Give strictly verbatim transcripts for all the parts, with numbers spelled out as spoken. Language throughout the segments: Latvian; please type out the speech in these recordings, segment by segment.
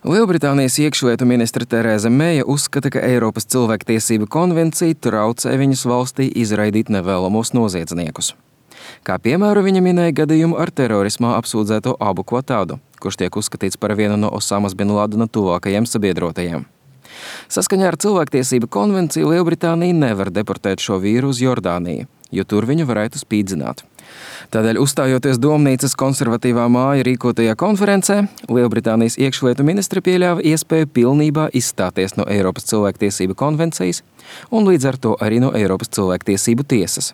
Lielbritānijas iekšlietu ministre Tereza Meija uzskata, ka Eiropas cilvēktiesību konvencija traucē viņas valstī izraidīt nevēlamos noziedzniekus. Kā piemēru viņa minēja gadījumu ar terorismā apsūdzēto Abu Kvatādu, kurš tiek uzskatīts par vienu no Osamas bin Ladena tuvākajiem sabiedrotajiem. Saskaņā ar cilvēktiesību konvenciju Lielbritānija nevar deportēt šo vīru uz Jordāniju, jo tur viņu varētu spīdzināt. Tādēļ, uzstājoties Domnīcas konservatīvā māja rīkotajā konferencē, Lielbritānijas iekšlietu ministre pieļāva iespēju pilnībā izstāties no Eiropas cilvēktiesību konvencijas un līdz ar to arī no Eiropas cilvēktiesību tiesas.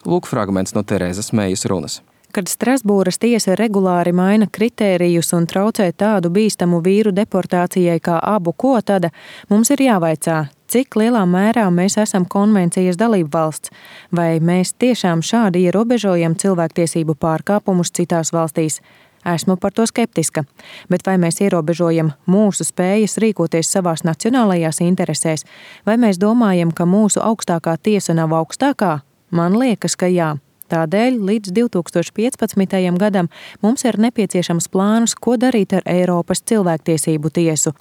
Lūk fragments no Terezas Meijas runas. Kad Strasbūras tiesa regulāri maina kritērijus un traucē tādu bīstamu vīru deportācijai kā Abu Kvatāda, mums ir jāvaicā, cik lielā mērā mēs esam konvencijas dalībvalsts, vai mēs tiešām šādi ierobežojam cilvēktiesību pārkāpumus citās valstīs. Esmu par to skeptiska, bet vai mēs ierobežojam mūsu spējas rīkoties savās nacionālajās interesēs, vai mēs domājam, ka mūsu augstākā tiesa nav augstākā? Man liekas, ka jā. Tādēļ līdz divi tūkstoši piecpadsmitajam gadam mums ir nepieciešams plāns, ko darīt ar Eiropas cilvēktiesību tiesu.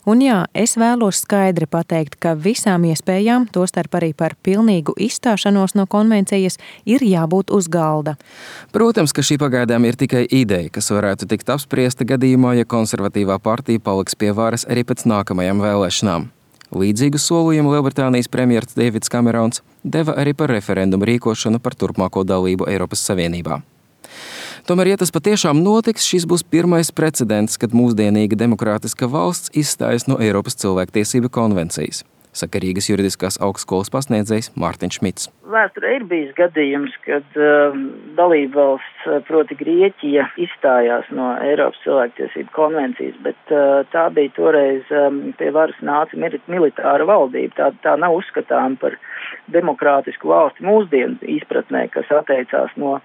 Un jā, es vēlos skaidri pateikt, ka visām iespējām, tostarp arī par pilnīgu izstāšanos no konvencijas, ir jābūt uz galda. Protams, ka šī pagaidām ir tikai ideja, kas varētu tikt apspriesta gadījumā, ja konservatīvā partija paliks pie varas arī pēc nākamajām vēlēšanām. Līdzīgu solījumu Lielbritānijas premjers Deivids Kamerons deva arī par referendumu rīkošanu par turpmāko dalību Eiropas Savienībā. Tomēr, ja tas patiešām notiks, šis būs pirmais precedents, kad mūsdienīga demokrātiska valsts izstājas no Eiropas cilvēktiesību konvencijas, saka Rīgas juridiskās augstskolas pasniedzējs Mārtiņš Šmits. Vēsturē ir bijis gadījums, kad uh, dalībvalsts, proti Grieķija, izstājās no Eiropas cilvēktiesību konvencijas, bet uh, tā bija toreiz um, pie varas nāca militāra valdība. Tā, tā nav uzskatām par demokrātisku valsti mūsdienu izpratnē, kas atteicās no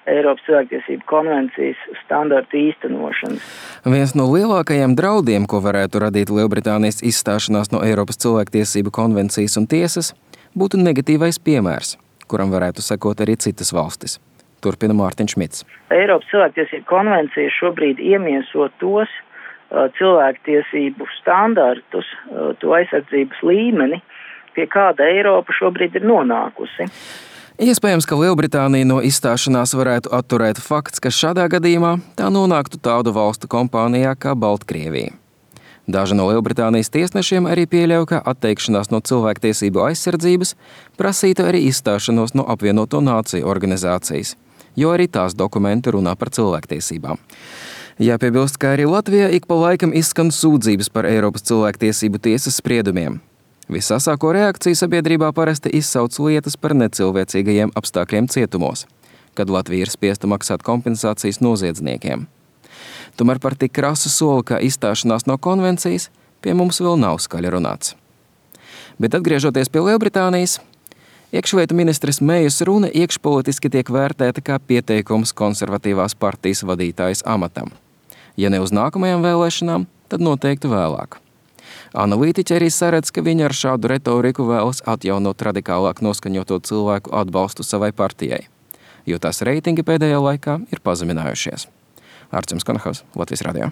Eiropas cilvēktiesību konvencijas standartu īstenošanas. Viens no lielākajiem draudiem, ko varētu radīt Lielbritānijas izstāšanās no Eiropas cilvēktiesību konvencijas un tiesas, būtu negatīvais piemērs, kuram varētu sekot arī citas valstis. Turpina Mārtiņš Šmits. Eiropas cilvēktiesību konvencija šobrīd iemieso tos uh, cilvēktiesību standartus, uh, to aizsardzības līmeni, pie kāda Eiropa šobrīd ir nonākusi. Iespējams, ka Lielbritānija no izstāšanās varētu atturēt fakts, ka šādā gadījumā tā nonāktu tādu valstu kompānijā kā Baltkrievija. Daži no Lielbritānijas tiesnešiem arī pieļauj, ka atteikšanās no cilvēktiesību aizsardzības prasītu arī izstāšanos no apvienoto nāciju organizācijas, jo arī tās dokumenti runā par cilvēktiesībām. Jāpiebilst, ka arī Latvijā ik pa laikam izskan sūdzības par Eiropas cilvēktiesību tiesas spriedumiem. Visasāko reakciju sabiedrībā parasti izsauc lietas par necilvēcīgajiem apstākļiem cietumos, kad Latvija ir spiesta maksāt kompensācijas noziedzniekiem. Tomēr par tik krasu soli, kā izstāšanās no konvencijas, pie mums vēl nav skaļi runāts. Bet atgriežoties pie Lielbritānijas, iekšlietu ministres Meijas runa iekšpolitiski tiek vērtēta kā pieteikums konservatīvās partijas vadītājas amatam. Ja ne uz nākamajām vēlēšanām, tad noteikti vēlāk. Analītiķi arī saredz, ka viņi ar šādu retoriku vēlas atjaunot radikālāk noskaņoto cilvēku atbalstu savai partijai, jo tās reitingi pēdējā laikā ir pazeminājušies. Arcims Konahaus, Latvijas radio.